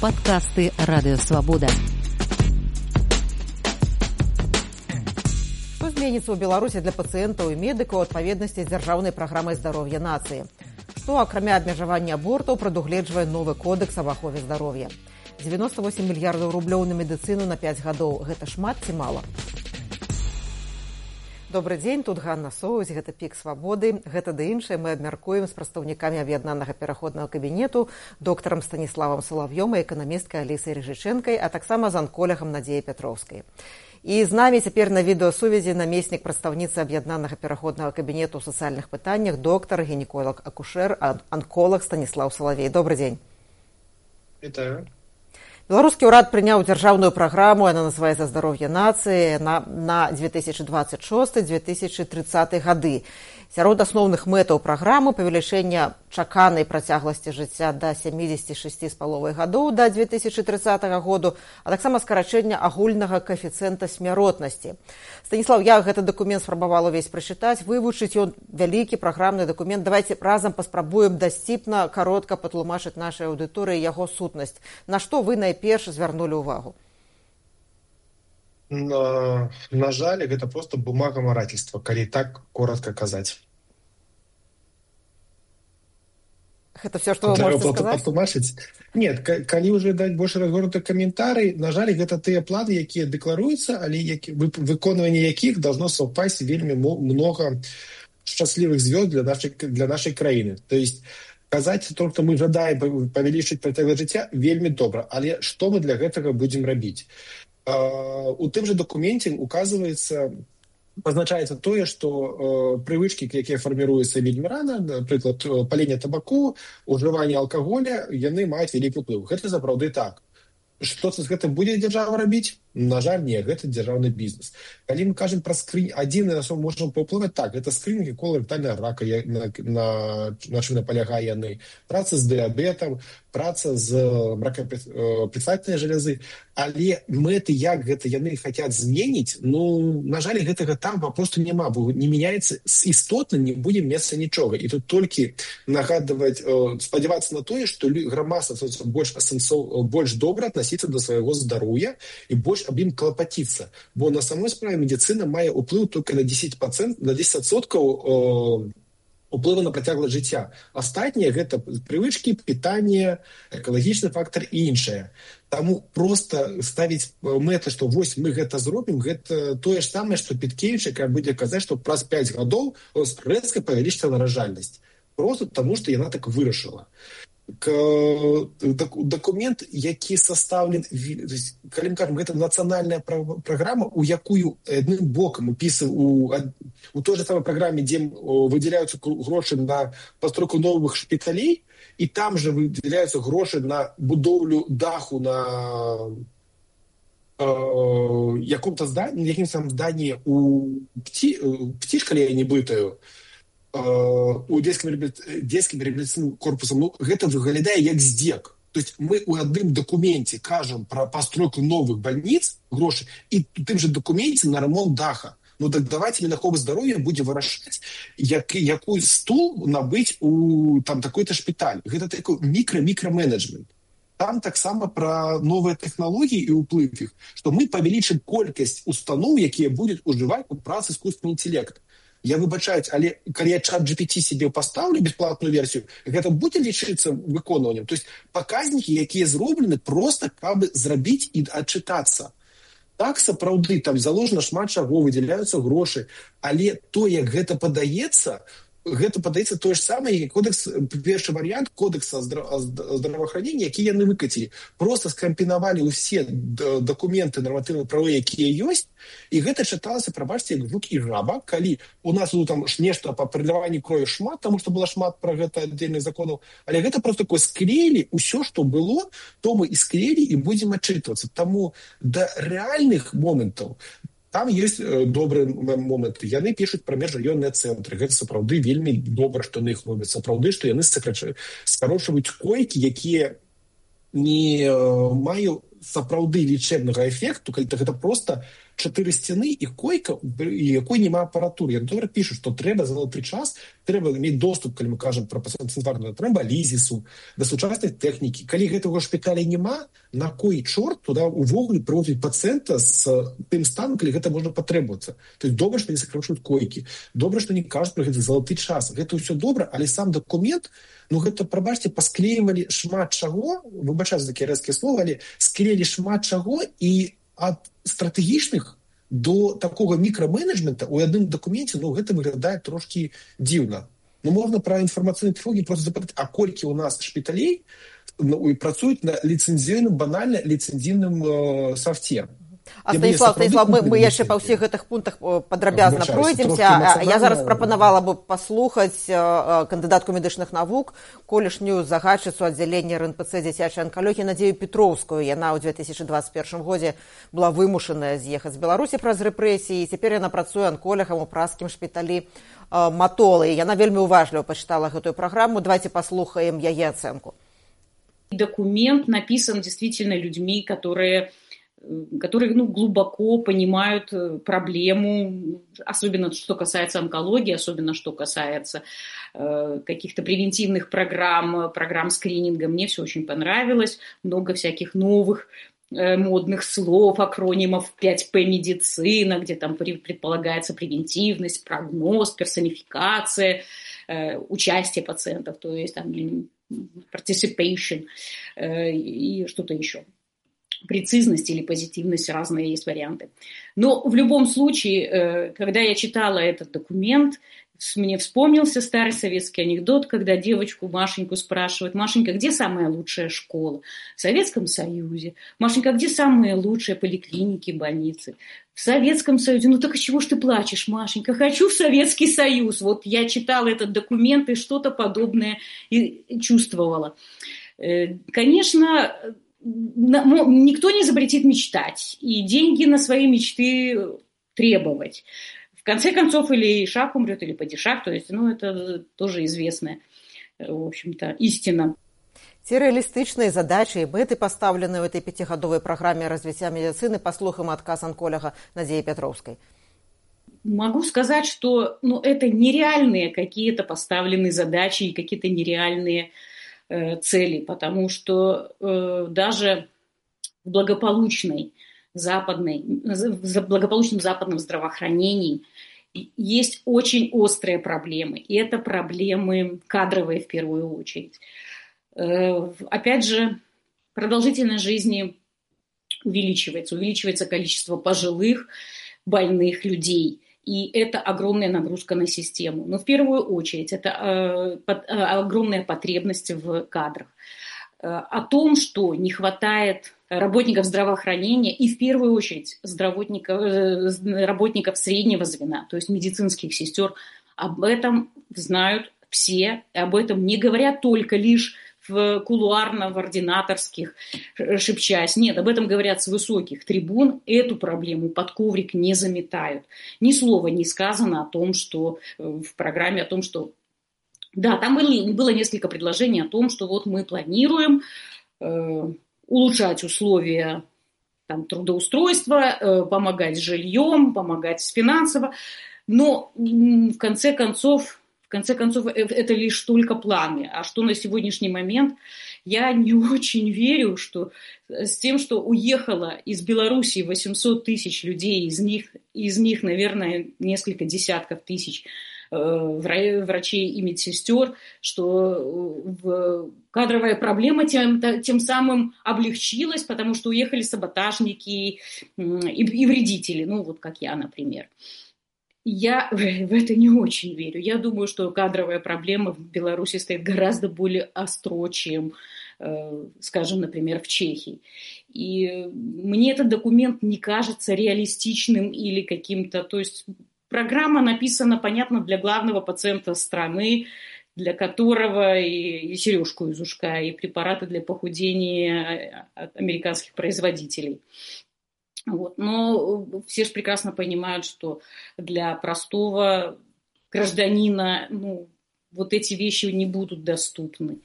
Падкасты Радыёвабода. Што зменіцца ў Беларусі для пацыентаў і медыкаў у адпаведнасці з дзяржаўнай праграмай здароўя нацыі? Што, акрамя абмежавання абортаў, прадугледжвае новы кодекс аб ахове здароўя? 98 мільярдаў рублёў на медыцыну на 5 гадоў. Гэта шмат ці мала? Добры дзень, тут Ганна Соўзь, гэта Пік Свабоды. Гэта ды іншае мы абмяркуем з прадстаўнікамі аб'яднанага пераходнага кабінету, доктарам Станіславам Салав'ём і эканамісткай Алісай Рыжычэнкай, а таксама з анколягам Надзеяй Пятроўскай. І з намі цяпер на відэасувязі намеснік прадстаўніцы аб'яднанага пераходнага кабінету ў сацыяльных пытаннях, доктар, гінеколог, акушэр, анколаг Станіслаў Салавей. Добры дзень. Вітаю. Беларускі ўрад прыняў дзяржаўную праграму, яна называецца «Здароўе нацыі» на 2026-2030 гады. Сярод асноўных мэтаў праграмы павелічэння чаканай працягласці жыцця да 76,5 гадоў да 2030 году, а таксама скарачэння агульнага каэфіцыента смяротнасці. Станіслаў, я гэты дакумент спрабавала ўвесь прачытаць, вывучыць ён вялікі праграмны дакумент. Давайце разам паспрабуем дасціпна, каротка патлумачыць нашай аўдыторыі яго сутнасць. На што вы найперш звярнулі ўвагу? На жаль, гэта проста бумагамарательства, калі так коротко казаць. Гэта все, што вы можете сказаць? Нет, калі ўжо даць больш разгорнуты каментарый, на жаль, гэта тыя планы, якія дэкларуюцца, але выконванне якіх должно совпасть вельмі много шчаслівых звёзд для нашай краіны. То есть казаць только мы жадаем павялічыць працягласць жыцця вельмі добра, але што мы для гэтага будзем рабіць? У тым же документе пазначаецца тое, што прывычкі, якія фарміруюцца вельмі рана, напрыклад, паленне табаку, ужыванне алкаголя, яны маюць вялікі ўплыў. Гэта сапраўды так. Што з гэтым будзе дзяржава рабіць? На жаль, не, гэта дзяржаўны бізнес. Калі мы кажам пра скрынь, адзіны на што можам паўплываць, так, гэта скрынінг коларектальнага рака, на чым напалягае яны, праца з дыябетам, праца з мракапредстательнай жалязы, але мэты, як гэта яны хацяць зменіць, на жаль, гэтага там папросту няма, бо не мяняецца істотна, не будзе месца нічога. І тут толькі нагадваць, спадзявацца на тое, што грамадства больш добра аднасіцца да свайго здароўя і больш аб ім клапаціцца. Бо на самой справе медыцына мае ўплыў толькі на 10%, на 10% уплыву на працягласць жыцця. Астатнія гэта прывычкі, пытанне, экалагічны фактар і іншае. Таму проста ставіць мэты, што вось мы гэта зробім, гэта тое ж самае, што Петкевіч, якая будзе казаць, што праз 5 гадоў рэзка павялічыцца наражальнасць. Проста таму, што яна так вырашыла. Дакумент, які састаўлен, калі мы кажам, гэта нацыянальная праграма, у якую адным бокам у той же самой праграме, дзе выдзяляюцца грошы на пастройку новых шпіталей, і там же выдзяляюцца грошы на будоўлю даху на якім-то зданні у птішкалі я не бытаю, у дзецкім реабілітацыйным корпусам, гэта выглядае як здзек. То есть мы ў адным дакуменце кажам пра пастройку новых бальніц, грошы, і у тым же дакуменце на рамонт даха. Так давайте Мінахова здароўя будзе вырашаць, якой стул набыць у такой-то шпіталь. Гэта такой мікра-менеджмент. Там таксама пра новыя тэхналогіі і ўплыв іх, што мы павялічым колькасць устаноў, якія будуць ужываць у працы искусственны інтэлект. Я выбачаюсь, але калі я чат GPT себе пастаўлю бесплатную версію, гэта будзе лічыцца выконваннем. То есть паказнікі, якія зроблены проста, каб зрабіць і адчытацца. Так, сапраўды, там заложена шмат чаго, выдзяляюцца грошы, але то, як гэта падаецца тое ж самае, кодекс, першы варыянт кодекса здраваахранення, які яны выкацілі. Проста скампінавалі ўсе дакументы нарматыўна-правовыя, якія ёсць, і гэта чыталася, прабачце, як жук і жаба, калі у нас там нешта па пераліванні крові шмат, таму што было шмат пра гэта аддзельных законаў, але гэта проста такое склеілі, усё, што было, то мы і склеілі і будзем адчытвацца. Таму да рэальных момантаў там ёсць добрыя моманты. Яны пішуць пра межраённыя цэнтры. Гэта сапраўды вельмі добра, што на іх робяць. Сапраўды, што яны скарочваюць койкі, якія не маюць сапраўды лічэбнага эфекту, калі гэта проста 4 сцены і койка, і якой няма апаратуры. Яны добра пішуць, што трэба залаты час, трэба мець доступ, калі мы кажам пра пацыентарную тромбалізісу, да сучаснай тэхнікі. Калі гэтага шпіталя няма, на кой чорт туды увогуле прывозіць пацыента з тым станам, калі гэта можна патребавацца. То есть добра, што не сакрачваюць койкі, добра, што не кажуць пра гэты залаты час. Гэта ўсё добра, але сам дакумент, ну гэта, прабачце, пасклеівалі шмат чаго, выбачаюсь за такія рэзкія словы, але склеілі шмат чаго, і ад стратэгічных до такого мікраменеджмента у адным дакуменце, ну гэта выглядае трошкі дзіўна. Ну можна пра інфармацыйныя тэхналогіі просто запытаць, а колькі у нас шпіталей працуюць на ліцэнзійным, банальна ліцэнзійным софце. А Станіслав, мы яшчэ па ўсіх гэтых пунктах падрабязна пройдземся. Я зараз прапанавала бы паслухаць кандыдатку медычных навук, колішнюю загадчыцу аддзялення РНПЦ дзіцячай анкалогіі Надзею Петроўскую. Яна ў 2021 годзе была вымушаная з'ехаць з Беларусі праз рэпрэсіі, і цяпер яна працуе анколагам у празскім шпіталі Матолы. Яна вельмі уважліва пачытала гэтую праграму. Давайте паслухаем яе ацэнку. Документ написан действительно людьми, которые глубоко понимают проблему, особенно что касается онкологии, особенно что касается каких-то превентивных программ скрининга. Мне все очень понравилось. Много всяких новых модных слов, акронимов 5П медицина, где там предполагается превентивность, прогноз, персонификация, участие пациентов, то есть там participation и что-то еще. Прецизность или позитивность, разные есть варианты. Но в любом случае, когда я читала этот документ, мне вспомнился старый советский анекдот, когда девочку Машеньку спрашивают: Машенька, где самая лучшая школа? В Советском Союзе. Машенька, где самые лучшие поликлиники, больницы? В Советском Союзе. Ну так из чего ж ты плачешь, Машенька? Хочу в Советский Союз. Вот я читала этот документ и что-то подобное чувствовала. Конечно, никто не запретит мечтать и деньги на свои мечты требовать. В конце концов, или шаг умрет, или падишах, то есть, это тоже известная, в общем-то, истина. Ці рэалістычныя задачы і мэты, пастаўленыя ў этой 5-гадовай праграме развіцця медицины, паслухаем адказ онколога Надзеі Петроўскай. Могу сказать, что это нереальные какие-то поставленные задачи и какие-то нереальные цели, потому что даже в благополучном западном здравоохранении есть очень острые проблемы. И это проблемы кадровые в первую очередь. Опять же, продолжительность жизни увеличивается количество пожилых, больных людей. И это огромная нагрузка на систему. Но в первую очередь это огромная потребность в кадрах. О том, что не хватает работников здравоохранения и в первую очередь работников среднего звена, то есть медицинских сестер, об этом знают все, об этом не говорят только лишь в ординаторских шепчась. Нет, об этом говорят с высоких трибун. Эту проблему под коврик не заметают. Ни слова не сказано о том, что в программе, о том, что... Да, там было несколько предложений о том, что вот мы планируем улучшать условия трудоустройства, помогать с жильем, помогать финансово. Но в конце концов, это лишь только планы. А что на сегодняшний момент, я не очень верю, что с тем, что уехало из Белоруссии 800 тысяч людей, из них, наверное, несколько десятков тысяч врачей и медсестер, что кадровая проблема тем самым облегчилась, потому что уехали саботажники и вредители, как я, например. Я в это не очень верю. Я думаю, что кадровая проблема в Беларуси стоит гораздо более остро, чем, скажем, например, в Чехии. И мне этот документ не кажется реалистичным или каким-то... То есть программа написана, понятно, для главного пациента страны, для которого и сережку из ушка, и препараты для похудения от американских производителей. Но все же прекрасно понимают, что для простого гражданина эти вещи не будут доступны.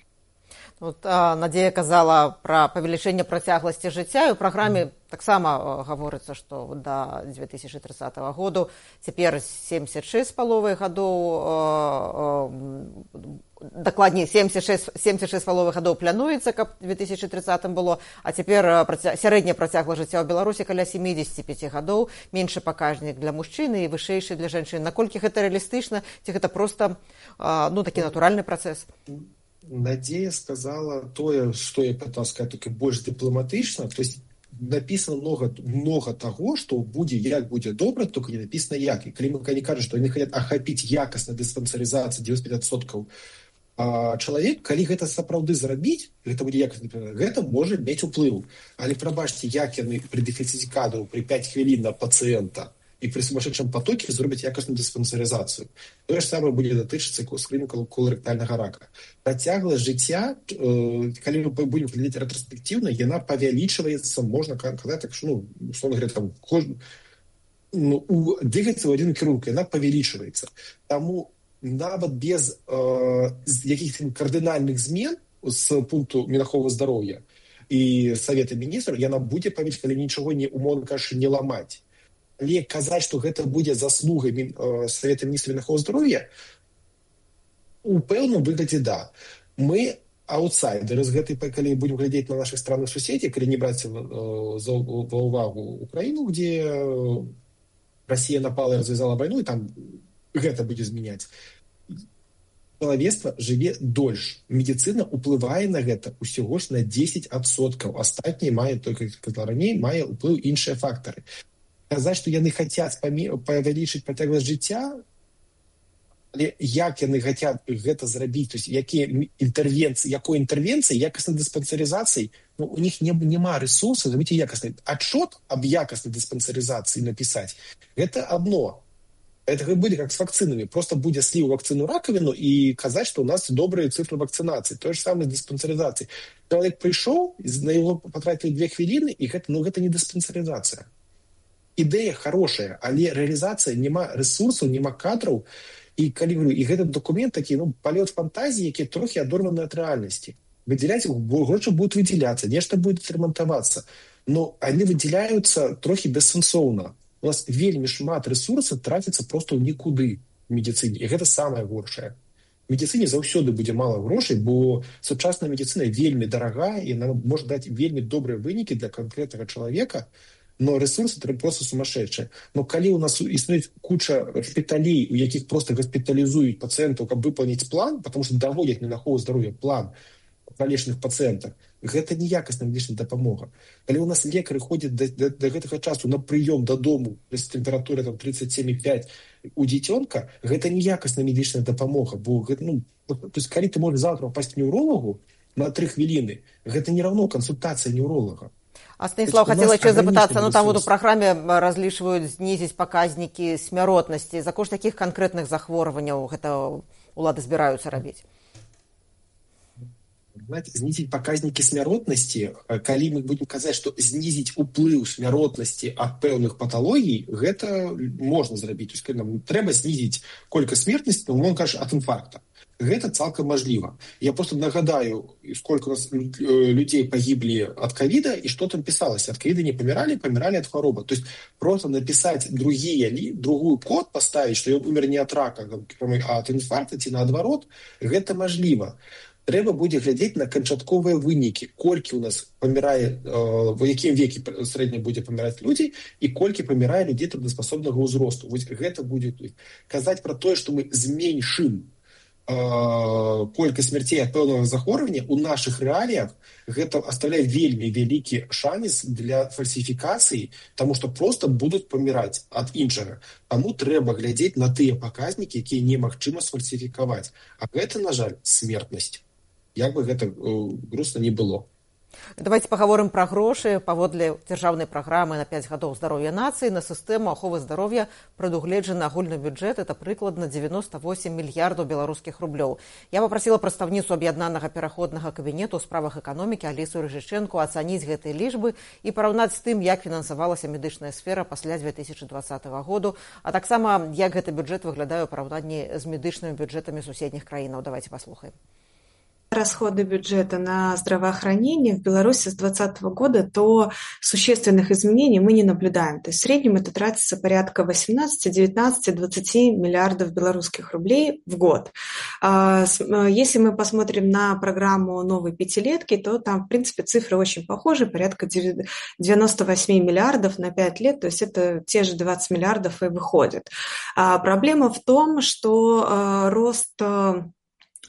Вот, Надзея казала пра павелічэнне працягласці жыцця, і ў праграме таксама гаворыцца, што да 2030 году цяпер 76,5 гадоў, дакладней 76,5 гадоў плануецца, каб 2030 было, а цяпер сярэдняя працягласць жыцця ў Беларусі каля 75 гадоў, меншы паказнік для мужчын і вышэйшы для жанчын. Наколькі гэта рэалістычна, ці гэта проста такі натуральны працэс? Надзея сказала тое, што я пытался сказать, только больш дыпламатычна. То есть написано много того, что будзе, як будзе добра, только не написано як. И калі мы кажам, што яны хотят ахапіць якасна дыспансарызацыю 95% чалавек, калі гэта сапраўды зрабіць, гэта будзе якасна, гэта можа мець уплыў. Але прабачце, як яны пры дэфіцыце кадраў пры 5 хвілін на пацыента і пры сумасшедшем потоке зробяць якасную дыспансарызацыю. Тое ж самае будзе датычыцца скрынінгу коларэктальнага рака. Працягласць жыцця, калі мы будем глядзець рэтраспектыўна, яна павялічваецца, можна казаць, так што, условно говоря, там, двигаецца ў адзін кірунак, яна павялічваецца. Таму нават без якіх-то кардынальных змен з пункту Мінахова здароўя і Савета міністраў, яна будзе павялічваць, калі нічого не, умоўна кажучы, не ламаць. Але казаць, што гэта будзе заслугай Савета міністраў Мінахова здароўя, у пэўным выглядзе да. Мы аутсайдеры з гэтай, калі будем глядзець на наших странных суседзей, калі не браць ва ўвагу Украіну, где Россия напала і развязала вайну, і там гэта будзе змяняць. Чалавецтва жыве дольш. Медицина уплывае на гэта усяго ж на 10%. Астатняе мае, только раней, мае уплыў іншыя фактары. Казаць, што яны хацяць павялічыць працягласць жыцця, але як яны хацяць гэта зрабіць, то есть якой інтэрвенцыі, якаснай дыспансарызацыі, у них няма ресурсаў зрабіць якаснай. Отчет об якаснай дыспансарызацыі напісаць, гэта одно. Это будет как с вакцинами. Просто будет слив вакцину раковину и казать, что у нас добрые цифры вакцинации. То же самое с диспансеризацией. Человек пришел, на его потратили 2 хвилины, и это не диспансеризация. Идея хорошая, але реализация нема ресурсов, нема кадров. И этот документ такие, полет фантазии, которые трохи адорваны от реальности. Выделять их, гроши будут выделяться, нечто будет ремонтоваться. Но они выделяются трохи бессенсоўна. У нас вельмі шмат ресурсаў траціцца проста ў нікуды в медицине. І гэта самае горшае. В медицине заўсёды будзе мала грошай, бо сучасная медицина вельмі дарагая, і она можа даць вельмі добрыя вынікі для конкретнага чалавека, но ресурсы просто сумасшедшие. Но калі у нас існуюць куча шпіталей, у якіх просто госпитализуюць пациентаў, каб выполнить план, потому что даводять Мінахова здароўя план палечных пациентах, гэта неякасная медычная дапамога. Калі у нас лекары ходзяць до гэтага часу на прыём дадому з тэмпературай 37,5 у дзіцёнка, гэта неякасная медычная дапамога, бо то есть калі ты можаш завтра паспаць к неўролагу на 3 хвіліны, гэта не равно кансультацыя неўролага. А Станіслав, хотела еще запытаться, там вот у программе различивают снизить показники смяротности. За кошт таких конкретных захворванняў гэта улады збіраюцца рабіць? Знизить показники смяротности, калі мы будем казаць, что снизить уплыў смяротности от пэўных патологий, гэта можно зрабіць. То есть нам трэба снизить колькасць смертнасці, он кажа, от инфаркта. Гэта цалкам мажліва. Я просто нагадаю, сколько у нас людей погибли от ковида, и что там писалось. От ковида не помирали, помирали от хвороба. То есть просто написать другую код поставить, что он умер не от рака, а от инфаркта, ці наадварот, гэта мажліва. Трэба будзе глядзець на канчатковыя вынікі, колькі у нас памірае, в якім веке срэдня будзе паміраць людзей і колькі памірае людзей трудоспасобнага ўзросту. Вось гэта будзе казаць пра тое, што мы зменшым колькасць смерцей ад пэўнага захворвання у нашых рэаліях, гэта оставляе вельмі вялікі шанец для фальсіфікацыі, таму што просто будуць паміраць ад іншага. Таму трэба глядзець на тыя паказнікі, якія немагчыма сфальсіфікаваць. А гэта, на жаль, смертнасць. Як бы гэта грустна не было. Давайте паговорым пра грошы. Паводле дзяржаўнай праграмы на 5 гадоў здароўя нацыі на сістэму аховы здароўя прадугледжаны агульны бюджэт, это прыкладна 98 мільярдаў беларускіх рублёў. Я папрасіла прадстаўніцу аб'яднанага пераходнага кабінету ў справах эканомікі Алісу Рыжычэнку ацаніць гэтыя лічбы і параўнаць з тым, як фінансавалася медычная сфера пасля 2020 году, а таксама як гэты бюджэт выглядае ў параўнанні з медычнымі бюджэтамі суседніх краінаў. Давайте паслухаем. расходы бюджета на здравоохранение в Беларуси с 2020 года, то существенных изменений мы не наблюдаем. То есть в среднем это тратится порядка 18, 19, 20 миллиардов белорусских рублей в год. Если мы посмотрим на программу новой пятилетки, то там, в принципе, цифры очень похожи, порядка 98 миллиардов на 5 лет, то есть это те же 20 миллиардов и выходит. Проблема в том, что рост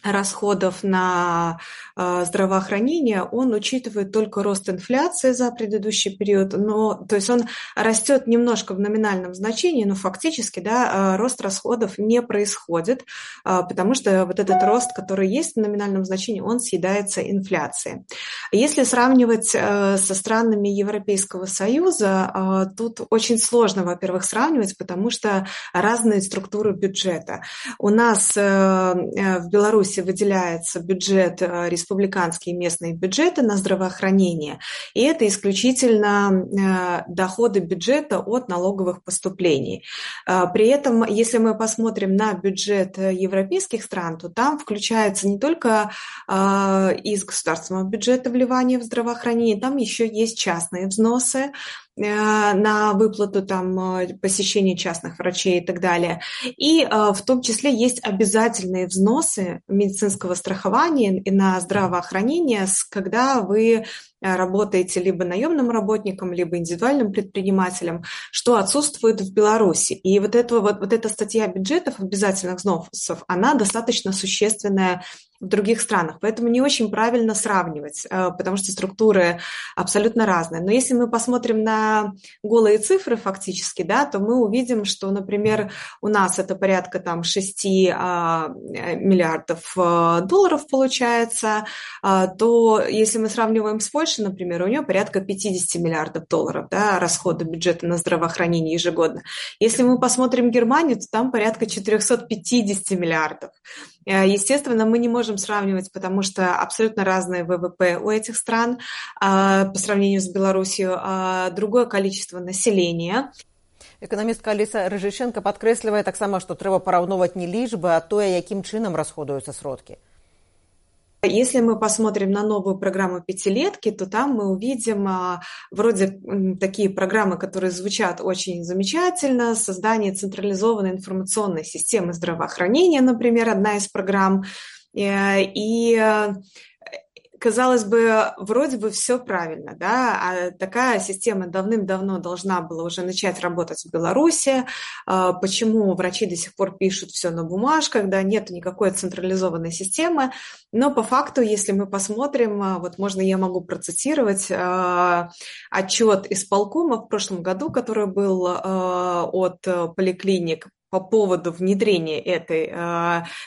расходов на здравоохранение, он учитывает только рост инфляции за предыдущий период, то есть он растет немножко в номинальном значении, но фактически, да, рост расходов не происходит, потому что вот этот рост, который есть в номинальном значении, он съедается инфляцией. Если сравнивать со странами Европейского Союза, тут очень сложно, во-первых, сравнивать, потому что разные структуры бюджета. У нас в Беларуси выделяется бюджет, республиканские и местные бюджеты на здравоохранение, и это исключительно доходы бюджета от налоговых поступлений. При этом, если мы посмотрим на бюджет европейских стран, то там включается не только из государственного бюджета вливание в здравоохранение, там еще есть частные взносы на выплату там, посещения частных врачей и так далее. И в том числе есть обязательные взносы медицинского страхования и на здравоохранение, когда вы работаете либо наемным работником, либо индивидуальным предпринимателем, что отсутствует в Беларуси. И вот эта статья бюджетов обязательных взносов, она достаточно существенная в других странах. Поэтому не очень правильно сравнивать, потому что структуры абсолютно разные. Но если мы посмотрим на голые цифры фактически, да, то мы увидим, что, например, у нас это порядка там, 6 миллиардов долларов получается, то если мы сравниваем с Польшей, например, у нее порядка 50 миллиардов долларов, да, расходы бюджета на здравоохранение ежегодно. Если мы посмотрим Германию, то там порядка 450 миллиардов. Естественно, мы не можем сравнивать, потому что абсолютно разные ВВП у этих стран по сравнению с Беларусью, другое количество населения. Эканамістка Аліса Рыжышенко падкрэслівае таксама, што трэба параўноўваць не лічбы, а тое, якім чынам расходуюцца сродкі. Если мы посмотрим на новую программу пятилетки, то там мы увидим вроде такие программы, которые звучат очень замечательно. Создание централизованной информационной системы здравоохранения, например, одна из программ. И казалось бы, вроде бы все правильно, да, а такая система давным-давно должна была уже начать работать в Беларуси. Почему врачи до сих пор пишут все на бумажках, да, нет никакой централизованной системы, но по факту, если мы посмотрим, вот можно я могу процитировать отчет исполкома в прошлом году, который был от поликлиник по поводу внедрения этой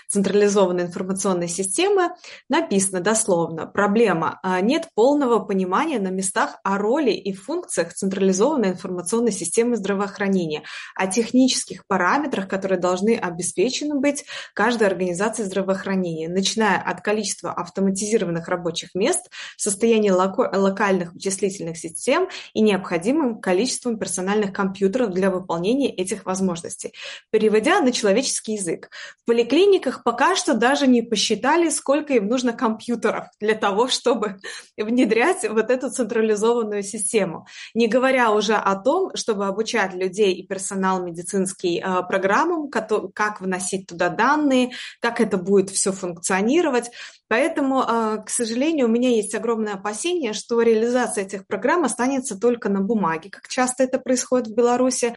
централизованной информационной системы, написано дословно: проблема: нет полного понимания на местах о роли и функциях централизованной информационной системы здравоохранения, о технических параметрах, которые должны обеспечены быть каждой организацией здравоохранения, начиная от количества автоматизированных рабочих мест, состояния локальных вычислительных систем и необходимым количеством персональных компьютеров для выполнения этих возможностей. Переводя на человеческий язык, в поликлиниках пока что даже не посчитали, сколько им нужно компьютеров для того, чтобы внедрять вот эту централизованную систему. Не говоря уже о том, чтобы обучать людей и персонал медицинский программам, как вносить туда данные, как это будет все функционировать. Поэтому, к сожалению, у меня есть огромное опасение, что реализация этих программ останется только на бумаге, как часто это происходит в Беларуси.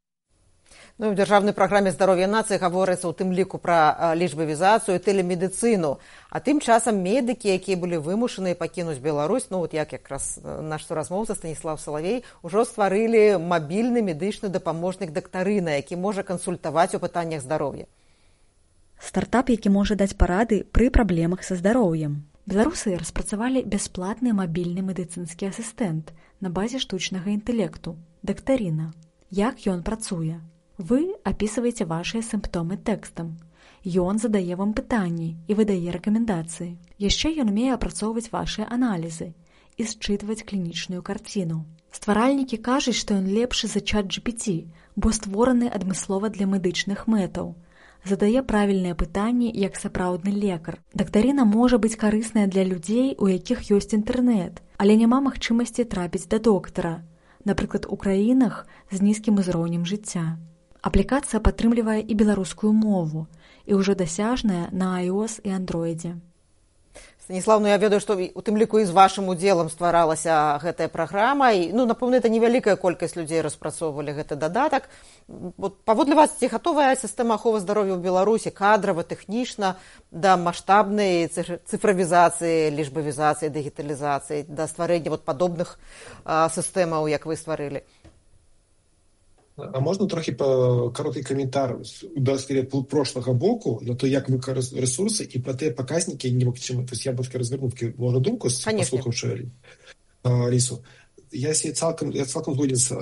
Ну, у дзяржаўнай праграме здароўя нацыі гаворыцца ў тым ліку пра лічбавізацыю, тэлемедыцыну. А тым часам медыкі, якія былі вымушаныя пакінуць Беларусь, ну вот як якраз наш суразмоўца Станіслав Салавей, ужо стварылі мабільны медычны дапаможнік дактарына, які можа кансультаваць у пытаннях здароўя. Стартап, які можа даць парады пры праблемах са здароўем. Беларусы распрацавалі бясплатны мабільны медыцынскі асістэнт на базе штучнага інтэлекту дактарына. Як ён працуе? Вы апісваеце вашыя сімптомы тэкстам. Ён задае вам пытанні і выдае рэкамендацыі. Яшчэ ён умее апрацоўваць вашыя аналізы і счытваць клінічную карціну. Стваральнікі кажуць, што ён лепшы за ChatGPT, бо створаны адмыслова для медычных мэтаў. задае правільныя пытанні як сапраўдны лекар. Дактарына можа быць карысная для людзей, у якіх ёсць інтэрнэт, але няма магчымасці трапіць да доктара, напрыклад, у краінах з нізкім узроўнем жыцця. Аплікацыя падтрымлівае і беларускую мову, і ўжо дасяжная на iOS і Android. Станіслав, я ведаю, што у тым ліку і з вашым удзелам стваралася гэтая праграма, і, напэўна, это невялікая колькасць людзей распрацоўвалі гэты дадатак. Паводле вас, ці гатовая сістэма аховы здароўя ў Беларусі кадрава, тэхнічна да маштабнай цыфравізацыі, лічбавізацыі, дыгіталізацыі, да стварэння падобных сістэмаў, як вы стварылі? А можна трохи короткий коментар прошлого боку на то, як використовують ресурси і про те показники, тобто я б розвернув можу думку, послухавши Алису. Я цалком згоден з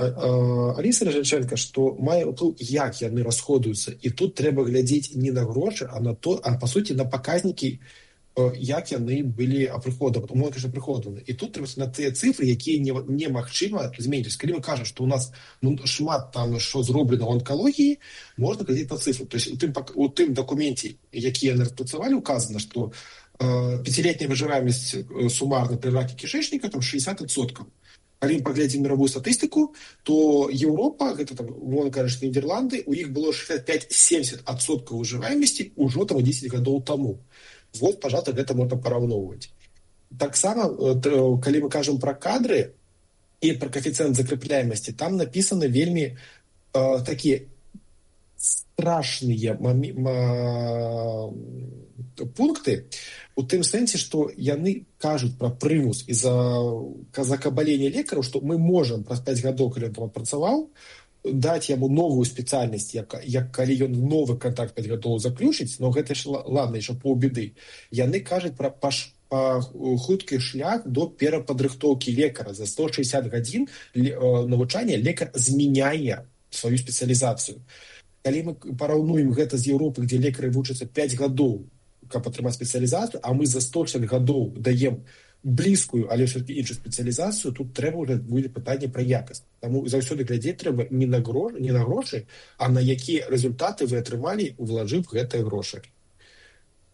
Алісою Режиченко, що має вплив, як вони розходуються. І тут треба глядіти не на гроші, а по суті на показники, як вони були оприходовані. І тут треба на ті цифри, які немагчыма змінити. Коли ми кажемо, що у нас шмат там, що зроблено в онкології, можна глядіти на цифри. Тобто у тим документі, які вони розпрацювали, указано, що пятилетняя выживаемость суммарно при раке кишечника там 60%. Коли ми поглядим мировую статистику, то Европа, это там, можно сказать, Нидерланды, у них было 65-70% выживаемости уже там 10 годов тому. Вот, пожалуйста, гэта можна параўноўваць. Таксама, калі мы кажам пра кадры і пра коэфіцыент закрэпляемасці, там напісаны вельмі такія страшныя пункты у тым сэнсе, што яны кажуць пра прымус і закабалення лекараў, што мы можам праз 5 гадоў, калі ён працаваў, даць яму новую спецыяльнасць, як калі ён новы контакт 5 гадоў заключыць, но гэта ж ладно, яшчэ паўбеды. Яны кажуць пра хуткі шлях до перападрыхтоўкі лекара. За 160 гадзін навучання лекар змяняе сваю спецыялізацыю. Калі мы параўнуем гэта з Еўропы, дзе лекары вучацца 5 гадоў, каб атрымаць спецыялізацыю, а мы за 160 гадоў даем блізкую, але все-таки іншу спецыялізацыю, тут трэба ўжо будзе пытанне пра якасць. Таму заўсёды глядзець трэба не на грошы, а на якія результаты вы атрымалі, улажыв гэтыя грошы.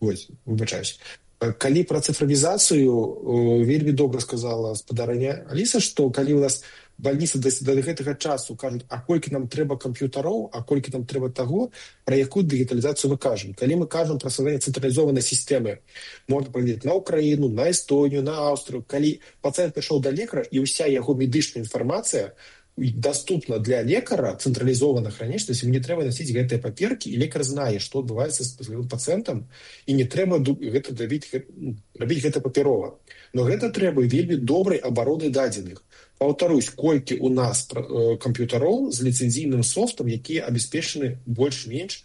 Вось, выбачаюсь. Калі пра цифравізацыю, вельмі добра сказала спадарня Аліса, што калі у нас больніцы да гэтага часу кажуць, а колькі нам трэба камп'ютароў, а колькі нам трэба таго, пра якую дыгіталізацыю мы кажам. Калі мы кажам пра стварэнне цэнтралізованай сістэмы, можна паглядзець на Украіну, на Эстонію, на Аўстрыю, калі пацыент прыйшоў да лекара і ўся яго медычная інфармацыя доступна для лекара, цэнтралізована храніць, то есть ему не трэба насіць гэтыя паперкі, і лекар знае, што адбываецца з пацыентам, і не трэба рабіць гэта папярова. Но гэта трэба вельмі добрай абароны дадзеных. Паўтарусь, колькі у нас камп'ютароў з ліцэнзійным софтам, якія абеспечаны больш-менш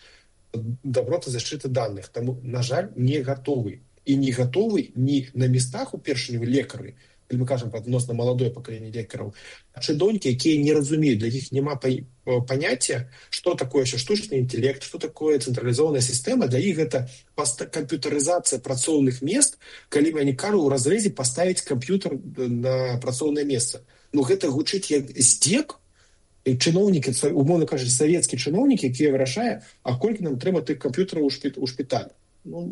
добротай защиты даных. Таму, на жаль, не гатовы. І не гатовы ні на местах у першыню лекары, калі мы кажам пра адносна маладое пакаленне лекараў, а чыноўнікі, якія не разумеюць, для іх няма паняцця, што такое штучны інтэлект, што такое цэнтралізованая сістэма. Для іх гэта камп'ютарызацыя працоўных мест, калі они кажуць у разрэзе паставіць камп'ютар на працоўнае месца. Ну гэта гучыць як здзек. Чыноўнікі, умоўна кажучы, савецкі чыноўнікі, якія вырашае, а колькі нам трэба тых камп'ютараў у шпіталь. Ну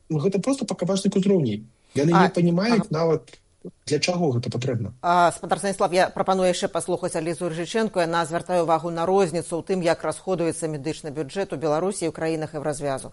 гэта просто пакавачнік узроўней. Яны не панімаюць нават, для чаго гэта патрэбна. Спадар Станіслав, я прапаную яшчэ паслухаць Алісу Рыжычэнку. Яна звяртае ўвагу на розніцу ў тым, як расходуецца медычны бюджэт у Беларусі і ў краінах Еўразвязу.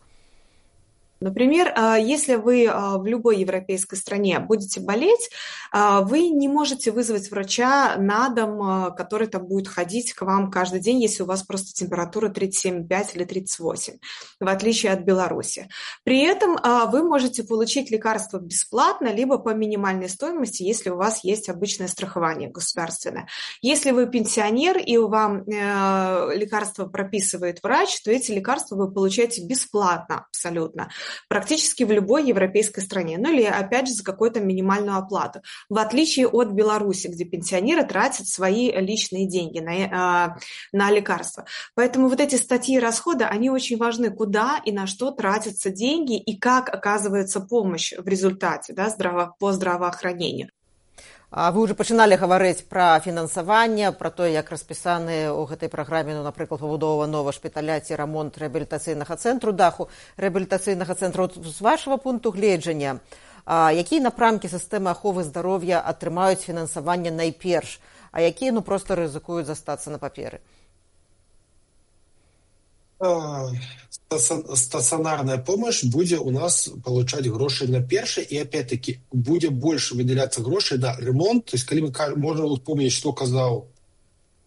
Например, если вы в любой европейской стране будете болеть, вы не можете вызвать врача на дом, который там будет ходить к вам каждый день, если у вас просто температура 37,5 или 38, в отличие от Беларуси. При этом вы можете получить лекарства бесплатно, либо по минимальной стоимости, если у вас есть обычное страхование государственное. Если вы пенсионер и вам лекарства прописывает врач, то эти лекарства вы получаете бесплатно абсолютно. Практически в любой европейской стране, ну или опять же за какую-то минимальную оплату, в отличие от Беларуси, где пенсионеры тратят свои личные деньги на лекарства. Поэтому вот эти статьи расхода, они очень важны, куда и на что тратятся деньги и как оказывается помощь в результате, да, по здравоохранению. Вы ўжо пачыналі гаварыць пра фінансаванне, пра тое, як распісаны ў гэтай праграме, напрыклад, пабудова новага шпіталя ці рамонт рэабілітацыйнага цэнтру, даху рэабілітацыйнага цэнтру. З вашага пункту гледжання, якія напрамкі сістэмы аховы здароўя атрымаюць фінансаванне найперш, а якія проста рызыкуюць застацца на паперы? Стационарная помощь будет у нас получать гроши на перший, и опять-таки будет больше выделяться грошей на ремонт. То есть, когда мы можем вспомнить, что сказал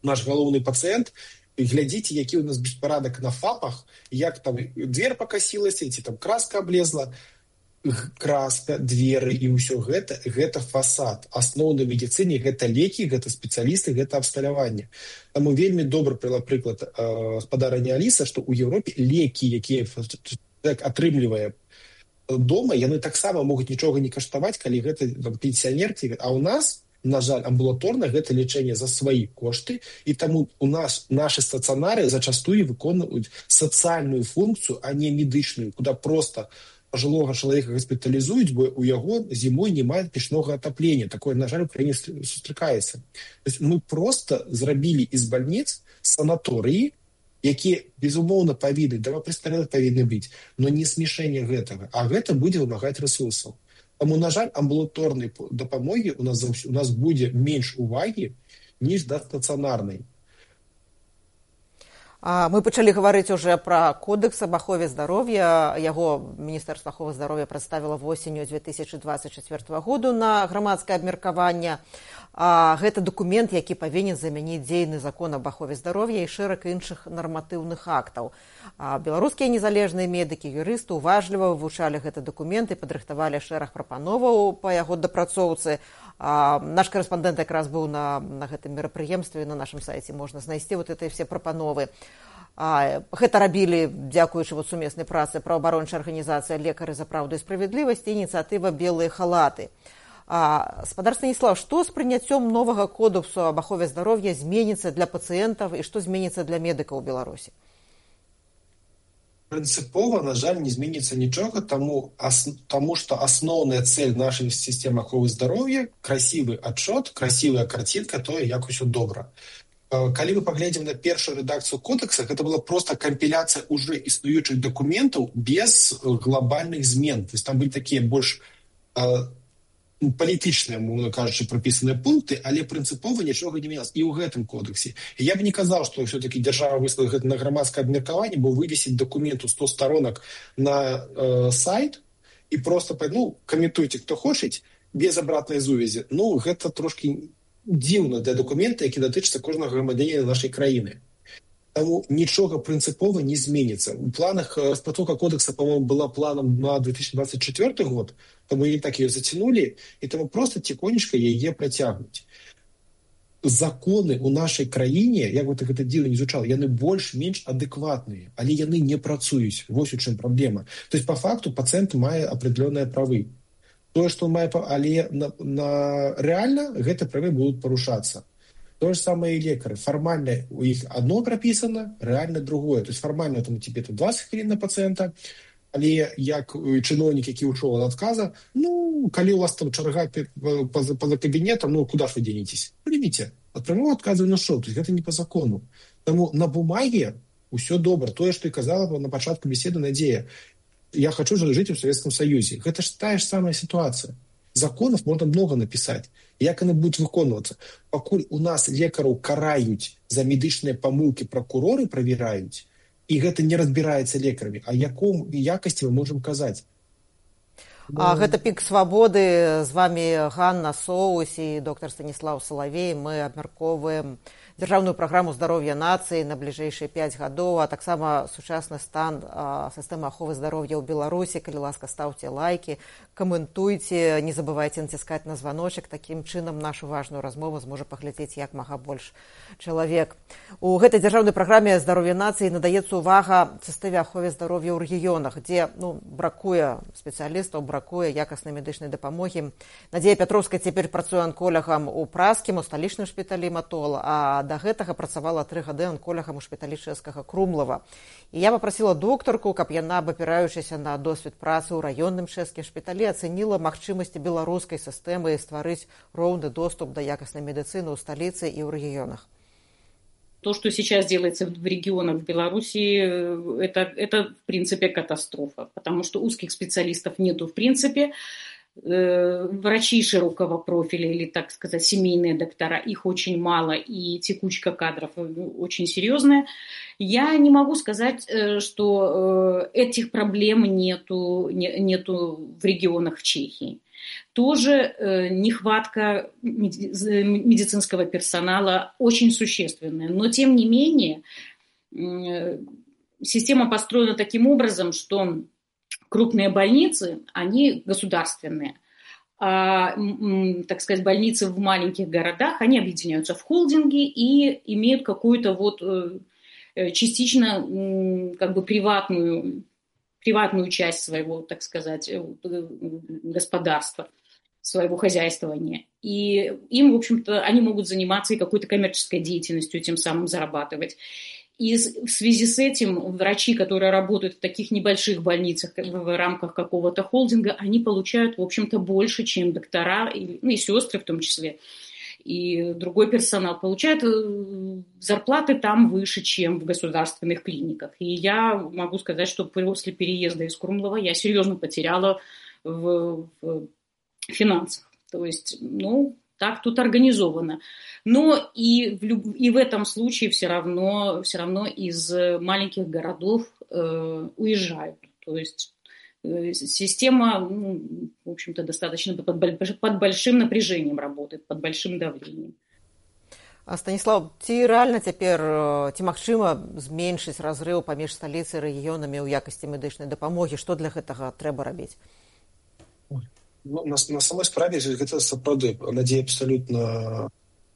наш головный пациент, и глядите, який у нас беспорядок на ФАПах, як там дверь покосилась, там краска облезла, краска, двери і ўсё гэта фасад. Асноўна медыцыне гэта лекі, гэта спецыялісты, гэта абсталяванне. Таму вельмі добра прывяла прыклад спадарня Аліса, што ў Еўропе лекі, якія человек атрымлівае дома, яны таксама могуць нічога не каштаваць, калі гэта пенсіянеркі. А ў нас, на жаль, амбулаторна гэта лечэнне за свае кошты, і таму у нас нашы стацыянары зачастую выконваюць сацыяльную функцыю, а не медычную, куды просто пожилого человека госпитализуюць, бо у яго зімой няма печнога атаплення. Такое, на жаль, у краіне сустракаецца. То есть мы просто зрабілі из больниц санаторыі, якія, безумоўна, павінны, престарэлых павінны быць, но не смешэнне гэтага. А гэта будзе вымагаць рэсурсаў. Таму, на жаль, амбулаторнай дапамогі у нас будзе менш увагі, ніж да стацыянарнай. Мы пачалі гаварыць уже пра кодэкс аб ахове здароўя. Яго Міністэрства аховы здароўя прадставіла восенню 2024 году на грамадскае абмеркаванне. Гэта дакумент, які павінен замяніць дзейны закон аб ахове здароўя і шэраг іншых нарматыўных актаў. Беларускія незалежныя медыкі, юрысты уважліва вывучалі гэты дакумент і падрыхтавалі шэраг прапановаў па яго дапрацоўцы. Наш корэспандэнт якраз быў на гэтым мерапрыемстве, на нашым сайце можна знайсці гэтыя все прапановы. Гэта рабілі, дзякуючы сумеснай працы праваабарончай арганізацыі «Лекары за праўду і справядлівасць» і ініцыятыва «Белыя халаты». Спадар Станіслаў, што з прыняццём новага кодексу аб ахове здароўя зменіцца для пацыентаў і што зменіцца для медыкаў у Беларусі? Принципова, на жаль, не зменіцца нічога, тому что основная цель нашей системы аховы здароўя – красивый отчет, красивая картинка, то, як усё добра. Калі мы паглядзім на першую редакцию кодекса, это была просто компиляция уже існуючых документов без глобальных змен. То есть там были такие больше палітычныя, мовна кажучы, прапісаныя пункты, але прынцыпова нічога не менялось і ў гэтым кодексе. І я бы не казаў, што все-таки дзяржава выслала гэта на грамадскае абмеркаванне, бо вывесіць документу 100 сторонок на сайт і просто, каментуйте, хто хочець, без абратнай сувязі. Гэта трошки дзіўна для документа, які датычыцца кожнага грамадзяніна нашай краіны. Таму нічога прынцыпова не зменіцца. У планах распрацоўка кодекса, по-моему, была планом на 2024 год, таму і так ее затянули, і таму просто тихонечко яе працягнуць. Законы у нашай краіне, як бы гэта дзіўна не звучала, яны больш-менш адэкватныя, але яны не працуюць. Вось у чым праблема. То есть, по факту, пацыент мае определенные правы. Тое, што он мае, але реально гэты правы будуць парушацца. То же самое и лекары. Формально у них одно прописано, реально другое. То есть формально там тебе 20 хвилин на пациента, але як чиновник, який ушел от отказа, коли у вас там чарга поза кабинетом, куда ж вы денетесь? Примите. От прямого отказа на что? То есть это не по закону. Тому на бумаге все добро. То, что и казала на початку беседы Надея. Я хочу жить в Советском Союзе. Это же та же самая ситуация. Законов можно много написать. Як яны будуць выконвацца? Пакуль у нас лекараў караюць за медычныя памылкі, пракуроры правяраюць, і гэта не разбіраецца лекарамі, а яком якасці мы можам казаць? Гэта «Пік свабоды». З вами Ганна Соус і доктор Станіслаў Салавей. Мы абмяркоўваем дзяржаўную праграму здароўя нацыі на бліжэйшыя 5 гадоў, а таксама сучасны стан сістэмы аховы здароўя ў Беларусі. Калі ласка, ставце лайкі, каментуйце, не забывайце націскаць на званочак. Такім чынам нашу важную размову зможа паглядзець як мага больш чалавек. У гэтай дзяржаўнай праграме здароўя нацыі надаецца ўвага сістэме аховы здароўя ў рэгіёнах, дзе бракуе спецыялістаў, бракуе якаснай медычнай дапамогі. Надзея Пятроўская цяпер працуе анколягам у празкім, у сталічным шпіталі Матол, а да гэтага працавала 3 гады анколягам у шпіталі чэшскага Крумлава. І я папрасіла доктарку, каб яна, абапіраючыся на досвед працы ў раённым чэшскім шпіталі, ацэніла магчымасці беларускай сістэмы стварыць роўны доступ да якаснай медыцыны ў сталіцы і ў рэгіёнах. То, что сейчас делается в регионах в Беларуси, это в принципе катастрофа, потому что узких специалистов нету в принципе. Врачи широкого профиля или, так сказать, семейные доктора, их очень мало, и текучка кадров очень серьезная. Я не могу сказать, что этих проблем нету в регионах в Чехии. Тоже нехватка медицинского персонала очень существенная. Но, тем не менее, система построена таким образом, что крупные больницы, они государственные. А, так сказать, больницы в маленьких городах, они объединяются в холдинги и имеют какую-то вот частично как бы приватную часть своего, так сказать, господарства, своего хозяйствования. И им, в общем-то, они могут заниматься и какой-то коммерческой деятельностью, тем самым зарабатывать. И в связи с этим врачи, которые работают в таких небольших больницах в рамках какого-то холдинга, они получают, в общем-то, больше, чем доктора, и сестры в том числе. И другой персонал получает зарплаты там выше, чем в государственных клиниках. И я могу сказать, что после переезда из Крумлова я серьезно потеряла в финансах. То есть, так тут организовано. Но и в этом случае все равно из маленьких городов уезжают. То есть система, в общем-то, достаточно под большим напряжением работает, под большим давлением. Станіслав, ці рэальна цяпер, ці магчыма зменшыць разрыў паміж сталіцай і рэгіёнамі ў якасці медычнай дапамогі? Што для гэтага трэба рабіць? На самой справе гэта сапраўды Надзея абсалютна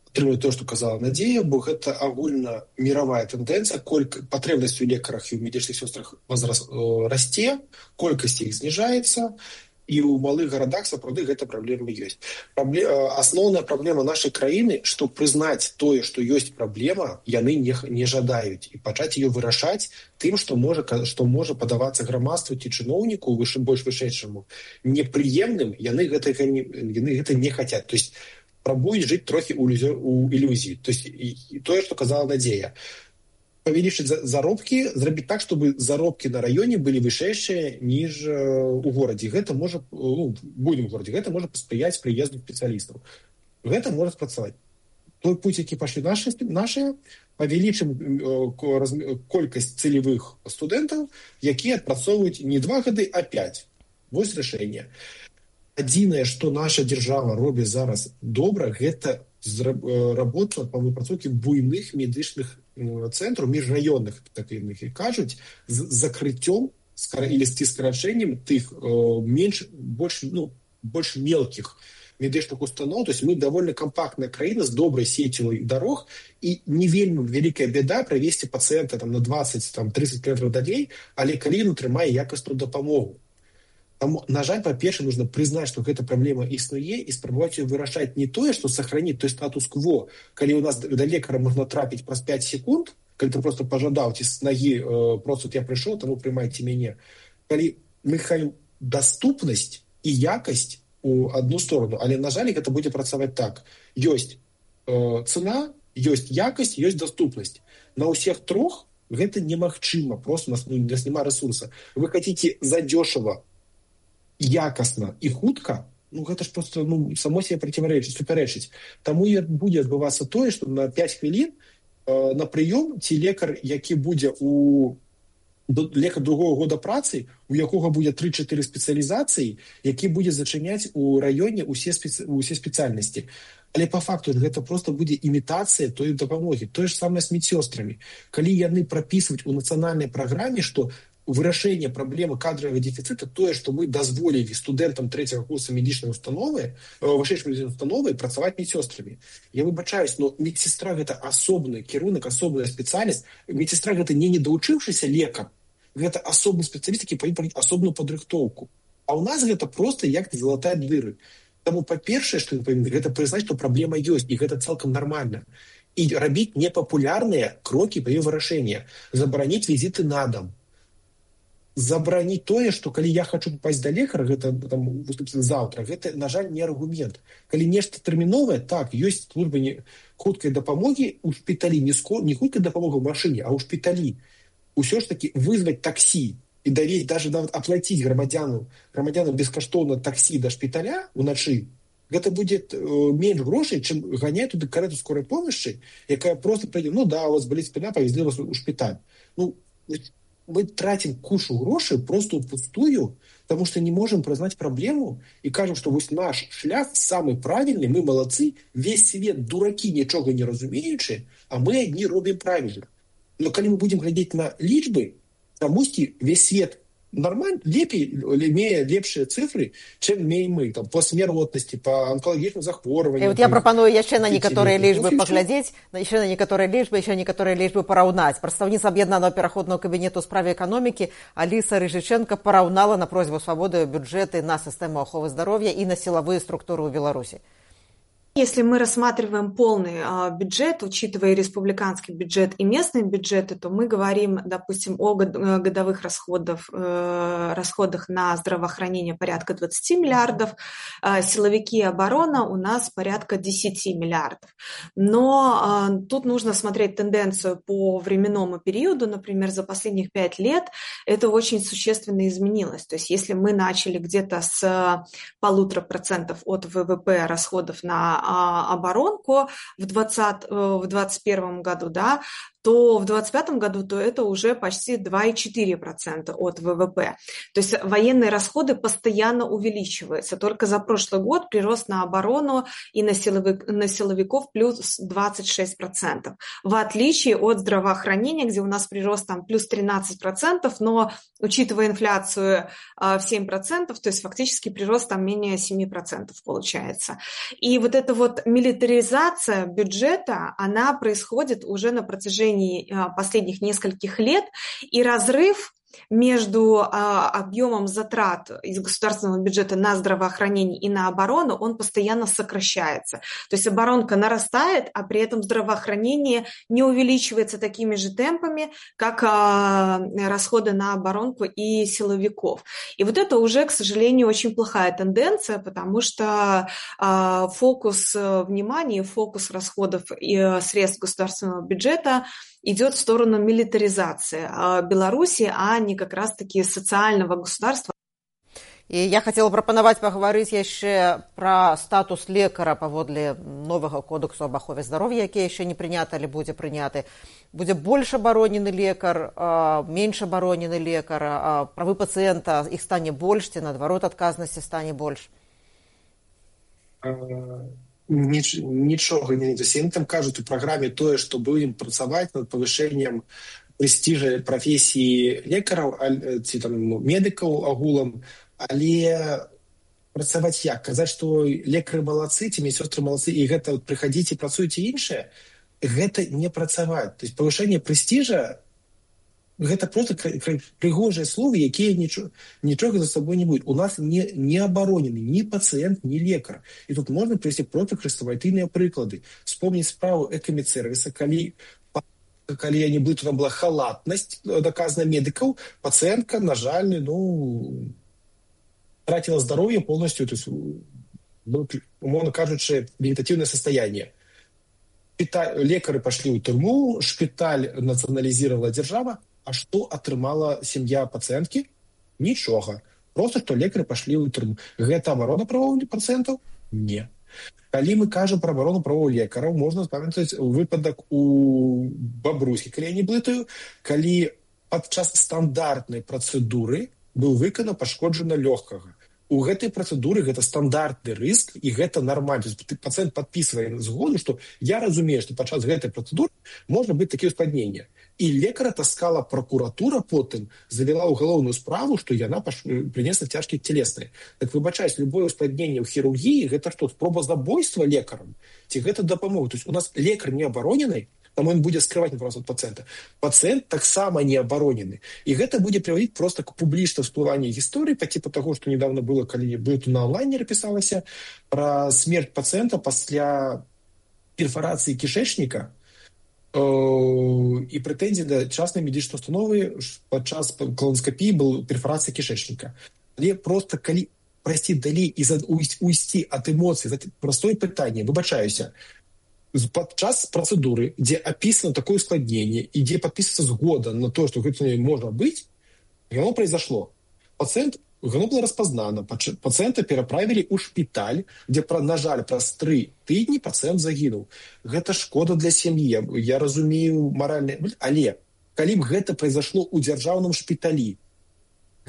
падтрымлівае тое, што казала Надзея, бо гэта агульна міравая тэндэнцыя, патрэбнасць у лекарах і ў медычных сёстрах расце, колькасць іх зніжаецца, і ў малых гарадах сапраўды гэта праблема ёсць. Асноўная праблема нашай краіны, што прызнаць тое, што ёсць праблема, яны не жадаюць, і пачаць ее вырашаць тым, што можа падавацца грамадству ці чыноўніку больш вышэйшаму непрыемным, яны гэта не хацяць. То есть пробуюць жыць трохі ў ілюзіі. То есть тое, што казала Надзея, павялічыць заробкі, зрабіць так, чтобы заробкі на раёне былі вышэйшыя, ніж у горадзе. Гэта можа, будзем у горадзе, гэта можа паспрыяць прыезду спецыялістаў. Гэта можа спрацаваць. Той путь, які пашлі нашыя, павялічым колькасць цэлевых студэнтаў, якія адпрацоўваюць не 2 гады, а 5. Вось рашэнне. Адзінае, што наша дзяржава робіць зараз добра, гэта работа па выпрацоўкі буйных медычных цэнтраў, міжраённых, так яны кажуць, з закрыццём или скарачэннем тых больш мелкіх медычных устаноў. То есть мы давольна кампактная краіна з добрай сеццю дарог, і не вельмі вялікая бяда правесці пацыента на 20-30 кілометраў далей, але калі ён атрымае якасную дапамогу. Таму, на жаль, па-першае, нужно прызнаць, што гэта праблема існуе, і спрабаваць ее вырашаць не тое, што сохраніць той статус-кво, калі у нас да лекара можна трапіць праз 5 секунд, калі ты просто пажадаў, ці з нагі просто я прыйшоў, таму прымайце мяне. Калі мы хаем даступнасць і якасць у одну сторону, але, на жаль, гэта будзе працаваць так. Ёсць цена, ёсць якасць, ёсць даступнасць. На ўсіх трох гэта немагчыма, просто у нас няма ресурса. Вы хотите задешево, якасна і хутка, гэта ж просто само себе супярэчыць. Таму і будзе адбывацца тое, што на 5 хвілін на прыём ці лекар, які будзе лекар другого года працы, у якога будзе 3-4 спецыялізацыі, які будзе зачыняць у раёне усе спецыяльнасці. Але па факту гэта просто будзе імітацыя той дапамогі. Тое ж самае з медсёстрамі. Калі яны прапісваюць у нацыянальнай праграме, што вырашэнне праблемы кадровага дэфіцыта тое, што мы дазволілі студэнтам 3-го курса медычнай установы, вышэйшай медычнай установы працаваць медсёстрамі. Я выбачаюсь, но медсестра гэта асобны кірунак, асобная спецыяльнасць. Медсестра гэта не недоучыўшыся лекар, гэта асобны спецыяліст, які павінен пройти асобную падрыхтоўку. А ў нас гэта проста як залатаць дыры. Таму па-першае, што ён павінен, гэта прызнаць, што праблема ёсць, і гэта цалкам нармальна. І рабіць непапулярныя крокі па яе вырашэння. Забараніць візіты на дом. Забараніць тое, што калі я хочу попасть да лекара, гэта там заўтра, гэта, на жаль, не аргумент. Калі нешта тэрміновае, так, ёсць служба хуткай дапамогі ў шпіталі, не хуткай дапамога ў машыне, а ў шпіталі. Усё ж таки вызваць таксі і давесць, даже нават аплаціць грамадзянам бескаштоўна таксі да шпіталя ўначы, гэта будзе менш грошай, чым ганяць туды карету скорай помощи, якая просто прыйдзе, у вас боліць спіна, павезлі вас у шпіталь. Мы тратим кучу грошей просто впустую, потому что не можем признать проблему и кажем, что вот наш шлях самый правильный, мы молодцы, весь свет дураки, ничего не разумеючи, а мы одни робим правильно. Но когда мы будем глядеть на лічбы, тамусьці весь свет нормально, имея лепшие цифры, чем имеем мы, там, по смертности, по онкологічным захворванням. И вот я пропоную еще на некоторые лічбы поглядеть, еще на некоторые лічбы параўнаць. Прадстаўніца аб'яднанага пераходнага кабінету ў справе эканомікі Аліса Рыжыченко параўнала на просьбу свабоды бюджеты на сістэму аховы здароўя и на силовые структуры ў Беларуси. Если мы рассматриваем полный бюджет, учитывая республиканский бюджет и местные бюджеты, то мы говорим, допустим, о годовых расходах на здравоохранение порядка 20 миллиардов, силовики и оборона у нас порядка 10 миллиардов. Но тут нужно смотреть тенденцию по временному периоду, например, за последних 5 лет это очень существенно изменилось. То есть если мы начали где-то с 1,5% от ВВП расходов на оборонку в 2021 году, да, то в 2025 году то это уже почти 2,4% от ВВП. То есть военные расходы постоянно увеличиваются. Только за прошлый год прирост на оборону и на силовиков плюс 26%. В отличие от здравоохранения, где у нас прирост там плюс 13%, но учитывая инфляцию в 7%, то есть фактически прирост там менее 7% получается. И вот эта вот милитаризация бюджета, она происходит уже на протяжении последних нескольких лет, и разрыв между объемом затрат из государственного бюджета на здравоохранение и на оборону, он постоянно сокращается. То есть оборонка нарастает, а при этом здравоохранение не увеличивается такими же темпами, как расходы на оборонку и силовиков. И вот это уже, к сожалению, очень плохая тенденция, потому что фокус внимания, фокус расходов и средств государственного бюджета идет в сторону милитаризации Беларуси, а не как раз-таки социального государства. И я хотела прапанаваць паговорыць яшчэ пра статус лекара паводле новага кодексу аб ахове здароўя, які яшчэ не прыняты, але будзе прыняты. Будзе больш абаронены лекар, менш абаронены лекар, правы пацыента іх стане больш, ці наадварот адказнасці стане больш? Нічога не зусім. Там кажуць у праграме тое, што будзем працаваць над павышэннем прэстыжа прафесіі лекараў ці там медыкаў агулам, але працаваць як? Казаць, што лекары малацы, ці медсёстры малацы, і гэта прыхадзіць і працуеце іншае, гэта не працаваць. То есть павышэнне прэстыжа гэта просто прыгожыя словы, якія нічога за сабой не будуць. У нас не абаронены ні пацыент, ні лекар. І тут можна прывесці проста хрэставайтыныя прыклады. Вспомніць справу экамедсервіса, калі я не блыту, там была халатнасць доказана медыкаў, пацыентка, на жаль, тратила здароўе полностью, то есть, умовно кажучы, вегетативное состояние. Лекары пошли ў турму, шпіталь нацыяналізировала держава, а што атрымала сям'я пацыенткі? Нічога. Просто што лекары пашлі ў турму. Гэта абарона правоў пацыентаў? Не. Калі мы кажам пра абарону правоў лекараў, можна памятаць выпадак у Бабруйскі, калі я не блытаю, калі падчас стандартнай працэдуры быў выканана пашкоджана лёгкага. У гэтай працэдуры гэта стандартны рыск, і гэта нармальна. Пацыент падпісвае згоду, што я разумею, што падчас гэтай працэдуры можна быць такія ўспадненні. І лекара таскала пракуратура потым, завяла ўгалоўную справу, што яна прынесла цяжкія целесныя. Так выбачаюсь, любое ўспадненне ў хірургіі гэта што, спроба забойства лекарам? Ці гэта дапамога? То есть у нас лекар не абаронены, там ён будзе скрываць інфармацыю ад пацыента. Пацыент таксама не абаронены. І гэта будзе прыводзіць проста к публічнаму всплыванню гісторыі па типу таго, што недавно было, калі на онлайнере пісалася пра смерць пацыента пасля перфарацыі кішэчніка і прэтэнзій да частнай медычнай установы падчас колоноскапіі была перфарацыя кішэчніка. Але проста калі прайсці далей і уйсці ад эмоцый, простое пытанне, выбачаюся, падчас працэдуры, дзе апісана такое ускладненне і дзе падпісваецца згода на то, што гэта можа быць, яно произошло. Яно было распазнана, пацыента пераправілі ў шпіталь, дзе, на жаль, праз 3 тыдні пацыент загінуў. Гэта шкода для сям'і, я разумею маральна, але калі б гэта произошло ў дзяржаўным шпіталі,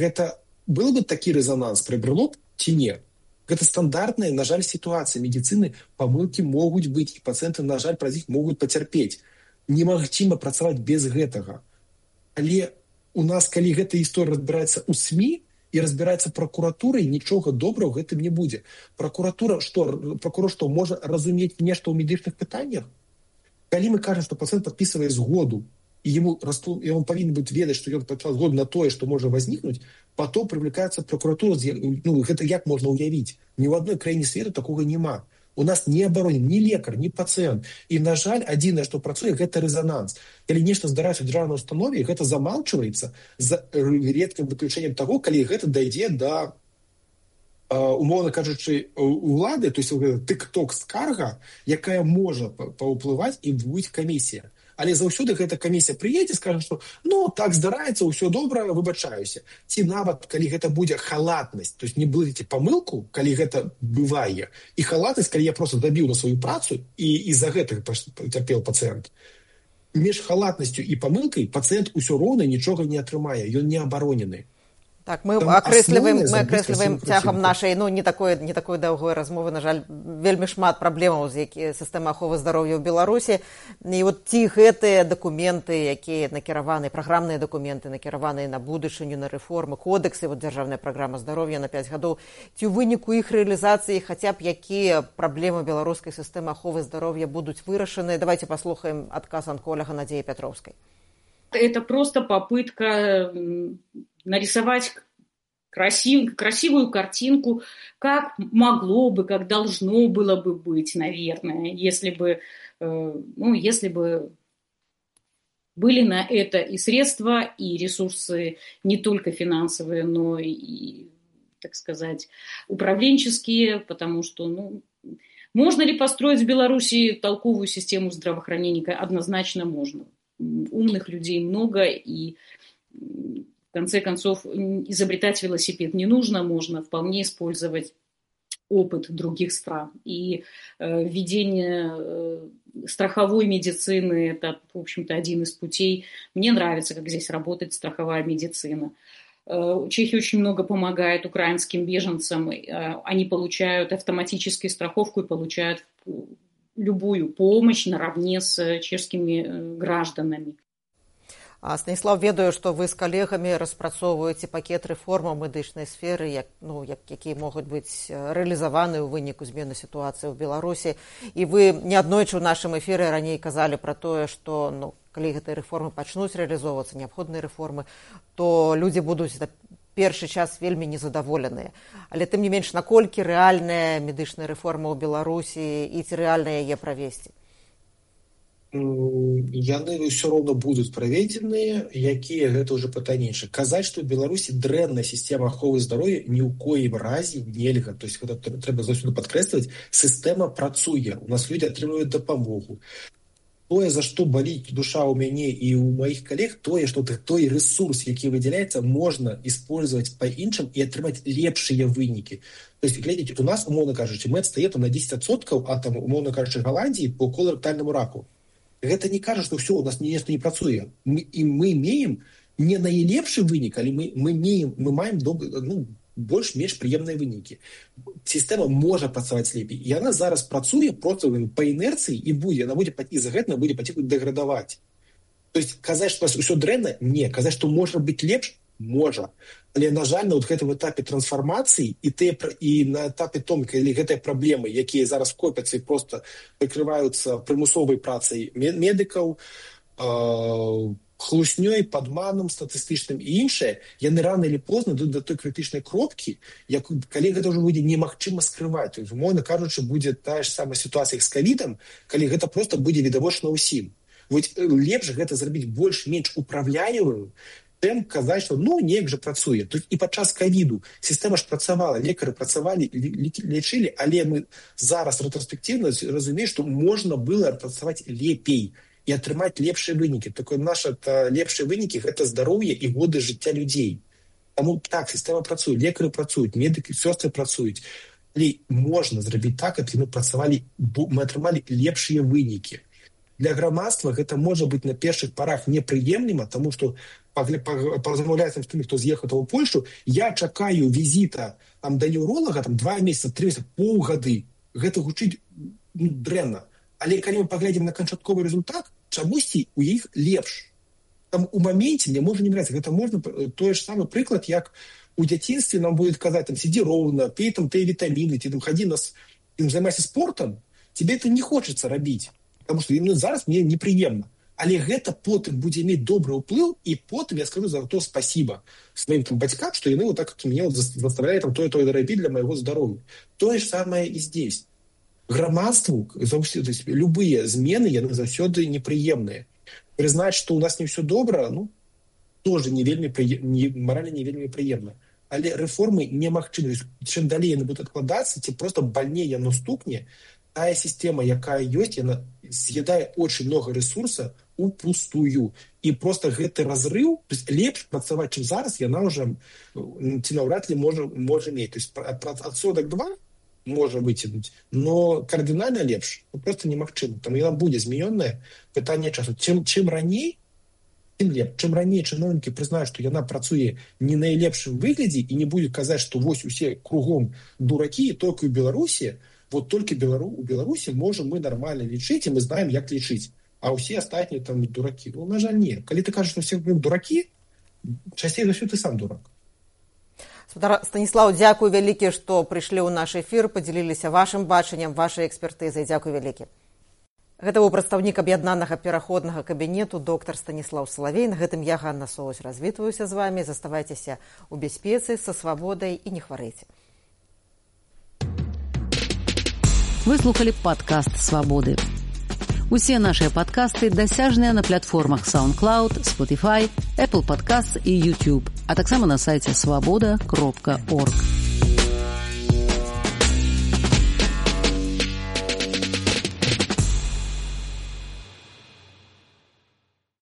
гэта был бы такі рэзананс, прыбрало б ці не? Гэта стандартная, на жаль, сітуацыя медыцыны, памылкі могуць быць, і пацыенты, на жаль, праз іх могуць пацярпець. Немагчыма працаваць без гэтага. Але у нас, калі гэта гісторыя разбіраецца ў СМІ, і разбіраецца пракуратурай, нічога добрага ў гэтым не будзе. Пракуратура, пракурор што, можа разумець нешта ў медычных пытаннях? Калі мы кажам, што пацыент падпісвае згоду, і ён павінен быць ведаць, што ён падпісаў згоду на тое, што можа возникнуць, потом прывлікаецца пракуратура, гэта як можна ўявіць? Ні ў адной краіне свету такога няма. У нас не абаронен ні лекар, ні пацыент. І, на жаль, адзінае, што працуе, гэта рэзананс. Калі нешта здараецца ў дзяржаўнай установе, гэта замалчваецца за рэдкім выключэннем таго, калі гэта дайдзе да, умоўна кажучы, улады, то есть тык-ток скарга, якая можа паўплываць, і будзе камісія. Але заўсёды гэта камісія прыедзе, скажа, што так здараецца, ўсё добра, выбачаюся. Ці нават, калі гэта будзе халатнасць, то есть не блыдзеце памылку, калі гэта бывае, і халатнасць, калі я проста дабіў на сваю працу, і за гэта пацярпеў пацыент. Між халатнасцю і памылкай пацыент усё роўна нічога не атрымае, ён не абаронены. Так, мы акрэсліваем цягам нашай не такой даўгой размовы, на жаль, вельмі шмат праблемаў з сістэмай аховы здароўя ў Беларусі. І ці гэтыя дакументы, якія накіраваны, праграмныя дакументы, накіраваныя на будучыню, на рэформы, кодексы, дзяржаўная праграма здароўя на 5 гадоў, ці ў выніку іх рэалізацыі хаця б якія праблемы беларускай сістэмы аховы здароўя будуць вырашаны? Давайте паслухаем адказ анколага Надзеі Пятроўскай. Это просто попытка нарисовать красивую картинку, как могло бы, как должно было бы быть, наверное, если бы были на это и средства, и ресурсы не только финансовые, но и, так сказать, управленческие, потому что, можно ли построить в Беларуси толковую систему здравоохранения? Однозначно можно. Умных людей много, и в конце концов изобретать велосипед не нужно, можно вполне использовать опыт других стран. И введение страховой медицины – это, в общем-то, один из путей. Мне нравится, как здесь работает страховая медицина. Чехия очень много помогает украинским беженцам. Они получают автоматическую страховку и получают любую помощь наравне с чешскими гражданами. Станіслав, ведаю, што вы з калегамі распрацоўваеце пакет рэформаў медычнай сферы, якія могуць быць рэалізаваны ў выніку змены сітуацыі ў Беларусі. І вы неаднойчы ў нашым эфіры раней казалі пра тое, што калі гэтыя рэформы пачнуць рэалізоўвацца, неабходныя рэформы, то людзі будуць першы час вельмі незадаволеныя. Але тым не менш, наколькі рэальная медычная рэформа ў Беларусі і ці рэальна яе правесці? Яны ўсё роўна будуць праведзеныя, якія гэта ўжо пытанне. Казаць, што ў Беларусі дрэнная сістэма аховы здароўя ні ў коім разе нельга. То есть гэта трэба заўсёды падкрэсліваць. Сістэма працуе, у нас людзі атрымліваюць дапамогу. Тое, за што баліць душа ў мяне і ў маіх калег, тое, што той рэсурс, які выдзяляецца, можна использовать па-іншым і атрымаць лепшыя вынікі. То есть, глядзіце, у нас, умоўна кажучы, мы адстаем на 10% ад, умоўна кажучы, Голландии по колоректальнаму раку. Гэта не кажа, што ўсё, у нас нешта не працуе. Мы имеем не найлепшы вынік, але мы маем больш-менш прыемныя вынікі. Сістэма можа працаваць лепей. І яна зараз працуе проста па інерцыі і з-за гэтага будзе паціху дэградаваць. То есть казаць, што у нас усё дрэнна? Не. Казаць, што можа быць лепш? Можа. Але, на жаль, на гэтым этапе трансфармацыі і на этапе том, калі гэтыя праблемы, якія зараз копяцца і проста прыкрываюцца прымусовай працай медыкаў, хлуснёй, падманам статыстычным і іншае, яны рана или позна дойдуць да той крытычнай кропкі, калі гэта ўжо будзе немагчыма скрываць. То есть, умоўна кажучы, будзе тая ж самая сітуацыя з ковідам, калі гэта проста будзе відавочна ўсім. Лепш гэта зрабіць больш-менш управляемым, чым казаць, што неяк жа працуе. Тут і падчас ковіду сістэма ж працавала, лекары працавалі, лечылі, але мы зараз рэтраспектыўна разумеем, што можна было працаваць лепей і атрымаць лепшыя вынікі. Такое наша лепшыя вынікі – гэта здароўе і годы жыцця людзей. Таму так, сістэма працуе, лекары працуюць, медыкі, сёстры працуюць. Але можна зрабіць так, каб мы атрымалі лепшыя вынікі. Для грамадства гэта можа быць на першых парах непрыемліма, таму што паразмаўляецца з тымі, хто з'ехаў ў Польшу, я чакаю візіта да неўролага 2 месяцы, 3 месяцы, паўгады. Гэта гучыць дрэнна. Але калі мы паглядзім на канчатковы результат, чамусьці у іх лепш. Там у моменце мне можа не нравіцца. Гэта можна той ж самы прыклад, як у дзяцінстве нам будуць казаць, сидзі роўна, пей тыя вітаміны, хадзі займайся спортам, тебе это не хочацца рабіць. Потому что зараз мне неприемно. Але гэта потым будзе мець добры ўплыў, і потым я скажу за то спасибо сваім бацькам, што яны так мяне заставляюць тое рабіць для майго здароўя. Тое ж самае і здесь. Грамадству заўсёды любыя змены яны заўсёды непрыемныя. Прызнаць, што у нас не все добра, тоже маральна не вельмі прыемна. Але рэформы немагчымы. Чым далей яны будуць адкладацца, ці проста бальней яно стукне, тая сістэма, якая ёсць, яна з'ядае очень много ресурса упустую. І просто гэты разрыў, то есть лепш працаваць, чым зараз, яна ўжо ці наўрад ли можа мець. То есть адсотак 2 можа выцягнуць, но кардынальна лепш просто немагчыма. Таму яна будзе змянёная, пытанне часу. Чым раней, тым лепш. Чым раней чыноўнікі прызнаюць, што яна працуе не найлепшым выглядзе і не будзе казаць, што вось усе кругом дуракі, толькі ў Беларусі, только у Беларуси можем мы нормально лечить, и мы знаем, как лечить. А все остальные там дураки. На жаль, нет. Когда ты кажешь, что все дураки, часцей за все ты сам дурак. Станіслаў, дзякуй вялікі, што прыйшлі ў наш эфір, падзяліліся вашым бачаннем, вашай экспертызай. Дзякуй вялікі. Гэта быў прадстаўнік аб'яднанага пераходнага кабінету доктар Станіслаў Салавей. На гэтым я, Ганна Соусь, развітваюся з вами. Заставайцеся ў бяспецы, са свабодай і не хварэйце. Вы слухали падкаст «Свабоды». Усе нашыя падкасты дасяжныя на платформах SoundCloud, Spotify, Apple Podcasts і YouTube, а таксама на сайце swaboda.org.